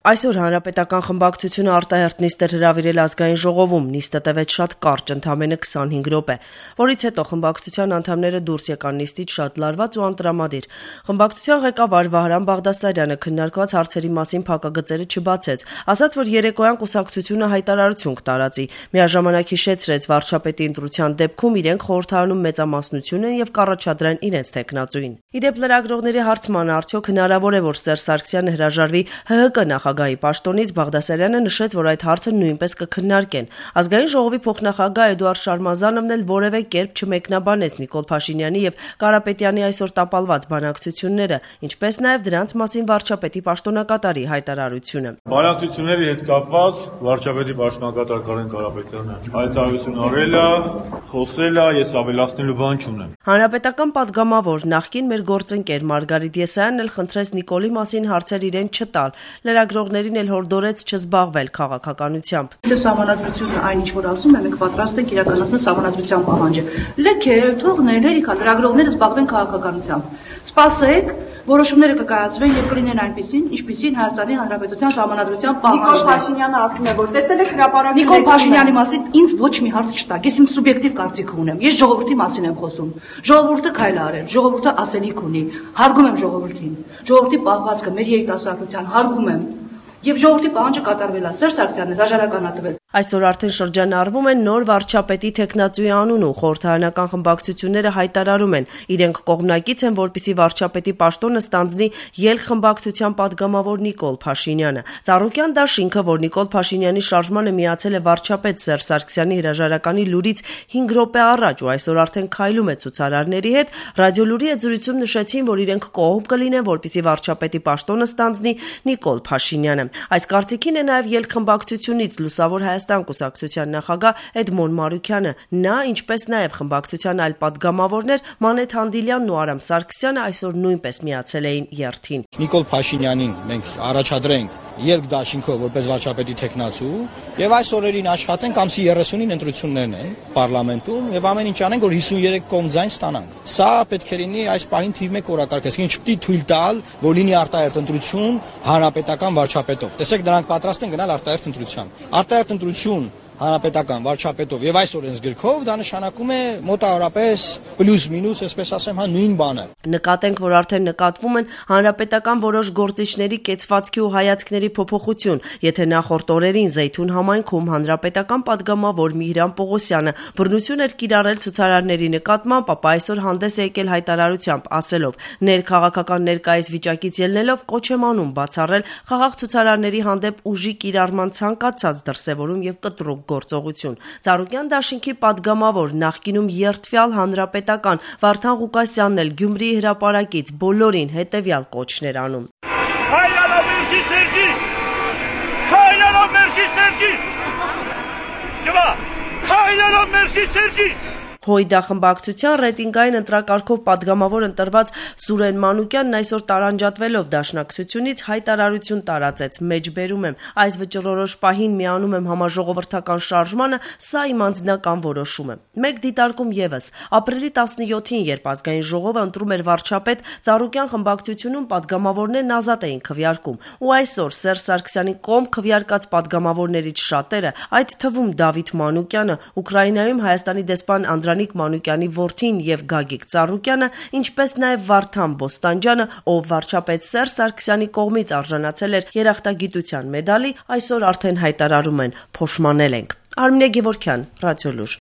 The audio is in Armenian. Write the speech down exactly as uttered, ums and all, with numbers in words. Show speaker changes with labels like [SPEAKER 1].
[SPEAKER 1] Այսօր Հանրապետական խմբակցությունը արտահերթ նիստ էր հրավիրել ազգային ժողովում, նիստը տևեց շատ կարճ, ընդամենը քսանհինգ րոպե, որից հետո խմբակցության անդամները դուրս եկան նիստից շատ լարված ու անտրամադիր։ Խմբակցության ղեկավար Վահրամ Բաղդասարյանը քննարկված հարցերի մասին փակագծերը չբացեց, ասաց, որ երեկոյան կուսակցությունը հայտարարություն կտարածի, միաժամանակ հիշեցրեց վարչապետի ընտրության դեպքում իրենք խորհրդարանում մեծամասնություն են եւ կառաջադրեն իրենց թեկնածուին։ Իդեպ լրագրողների հարցմանը արդյոք հնարավոր է, որ Սերժ Սարգսյանը հրաժարվի ՀՀԿ նախագահի պաշտոնից, Բաղդասարյանը նշեց, որ այդ հարցը նույնպես կքննարկեն։ Ազգային ժողովի փոխնախագահ Էդուարդ Շարմազանովն էլ որևէ կերպ չմեկնաբանեց Նիկոլ Փաշինյանի եւ Կարապետյանի այսօր տապալված բանակցությունները, ինչպես նաեւ դրանց մասին վարչապետի պաշտոնակատարի հայտարարությունը։
[SPEAKER 2] Բանակցությունների հետ կապված վարչապետի պաշտոնակատար Կարեն Կարապետյանը հայտարարություն արել է, խոսել է, ես ավելացնելու բան չունեմ։
[SPEAKER 1] Հանրապետական падգամավոր նախկին մեր գործընկեր Մարգարիտ Եսայանն էլ խնդրեց Նիկոլի մասին հարցեր իրեն չտալ, լրագրողներին էլ հորդորեց չզբաղվել քաղաքականությամբ։
[SPEAKER 3] Սահմանադրությունը այն ինչ որ ասում է, մենք պատրաստ ենք իրականացնել սահմանադրության պահանջը։ Լքել, թողնել, հերիքա լրագրողները զբաղվեն քաղաքականությամբ։ Սպասեք, որոշումները կկայացվեն եւ կլինեն այնպիսին, ինչպիսին Հայաստանի Հանրապետության սահմանադրության պահանջն է։
[SPEAKER 4] Նիկոլ Փաշինյանը ասում է, որ տեսել եք հրապարակի
[SPEAKER 3] Նիկոլ Փաշինյանի մասին ինձ ոչ մի հարց չտակ։ Ես իմ սուբյեկտիվ կարծիք ունեմ։ Ես ժողովրդի մասին եմ խոսում։ Ժողովուրդը քայլ արել, ժողովուրդը ասելիք ունի։ Հարգում եմ ժողովրդին։ Ժողովրդի պահվածքը մեր երիտասարդության հարգում եմ։ Եվ ժողովրդի պահանջը կատարվել է, Սերժ Սարգսյանն հրաժարականատվել։
[SPEAKER 1] Այսօր արդեն շրջանառվում են նոր վարչապետի թեկնածուի անունը, խորհրդարանական խմբակցությունները հայտարարում են, իրենք կողմնակից են, որպեսզի վարչապետի պաշտոնը ստանձնի ելք խմբակցության падգամավոր Նիկոլ Փաշինյանը։ Ծառուկյան դաշինքը, որ Նիկոլ Փաշինյանի շարժմանը միացել է վարչապետ Սերժ Սարգսյանի հրաժարականի լուրից հինգ րոպե առաջ ու այսօր արդեն քայլում է ցուցարարների հետ, ռադիոլուրի եզրույցում նշեցին, որ իրենք կողմ կլինեն, որպեսզի վարչապետի պաշտոնը ստանձնի Նիկոլ Փաշինյանը։ Այս կարծիքին է նաև ելք խմբակցությունից Լուսավոր Հայաստան կուսակցության նախագահ Էդմոն Մարուքյանը։ Նա, ինչպես նաև խմբակցության այլ падգամավորներ Մանեթ Հանդիլյանն ու Արամ Սարգսյանը այսօր նույնպես միացել էին երթին։
[SPEAKER 5] Նիկոլ Փաշինյանին մենք առաջադրենք ելք դաշինքով որպես վարչապետի թեկնածու եւ այս օրերին աշխատենք ամսի երեսունին ընտրություններն են պարլամենտում եւ ամեն ինչ անենք որ հիսունյերեք կողմ ձայն ստանանք։ Սա պետք է լինի այս պահին թիվ մեկ օրակարգ, այսինքն չպետք է թույլ տալ, որ լինի արտահերթ ընտրություն հանրապետական վարչապետով։ Տեսեք, դրանք պատրաստ են գնալ արտահերթ ընտրության։ Արտահերթ ընտրություն հանրապետական վարչապետով եւ այս օրենսգրքով դա նշանակում է մոտավորապես պլյուս մինուս, այսպես ասեմ, հա նույն բանը։
[SPEAKER 1] Նկատենք, որ արդեն նկատվում են հանրապետական որոշ գործիչների կեցվածքի ու հայացքների փոփոխություն, եթե նախորդ օրերին Զեյթուն համայնքում հանրապետական падգամավոր Միհրան Պողոսյանը բռնություն էր կիրառել ցուցարարների նկատմամբ, ապա այսօր հանդես է եկել հայտարարությամբ, ասելով. ներքաղաքական ներկայիս վիճակից ելնելով կոչ եմ անում բացառել խաղաղ ցուցարարների հանդեպ ուժի կիրառման ցանկացած դրսևորում եւ կտրուկ գործողություն։ Ծառուկյան դաշինքի падգամավոր նախկինում երդվյալ հանրապետական Վարդան Ղուկասյանն էլ Գյումրիի հրապարակից բոլորին հետևյալ կոչներ անում։
[SPEAKER 6] Հայրենով մերժի Սերժի։ Հայրենով մերժի Սերժի։ Ջվա։ Հայրենով մերժի Սերժի։
[SPEAKER 1] Հույդա խմբակցության ռեյտինգային ընտրակարգով падգամավոր ընտրված Սուրեն Մանուկյանն այսօր տարանջատվելով դաշնակցությունից հայտարարություն տարածեց. մեջբերում եմ, այս վճռորոշ պահին միանում եմ համաժողովրդական շարժմանը, սա իմ անձնական որոշում է։ Մեկ դիտարկում եւս. ապրիլի տասնյոթին, երբ ազգային ժողովը ընտրում էր վարչապետ, Ծառուկյան խմբակցությունում падգամավորներն ազատ էին քվեարկում, ու այսօր Սերժ Սարգսյանի կողմ քվեարկած падգամավորներից շատերը, այդ թվում Դավիթ Մանուկյանը, Ուկրաինայում Հայաստանի դեսպան Անդրանիկ Մանուկյանի որդին եւ Գագիկ Ծառուկյանը, ինչպես նաեւ Վարդան Բոստանջյանը, ով վարչապետ Սերժ Սարգսյանի կողմից արժանացել էր երախտագիտության մեդալի, այսօր արդեն հայտարարում են՝ փոշմանել ենք։ Արմինե Գևորգյան, Ռադիոլուր։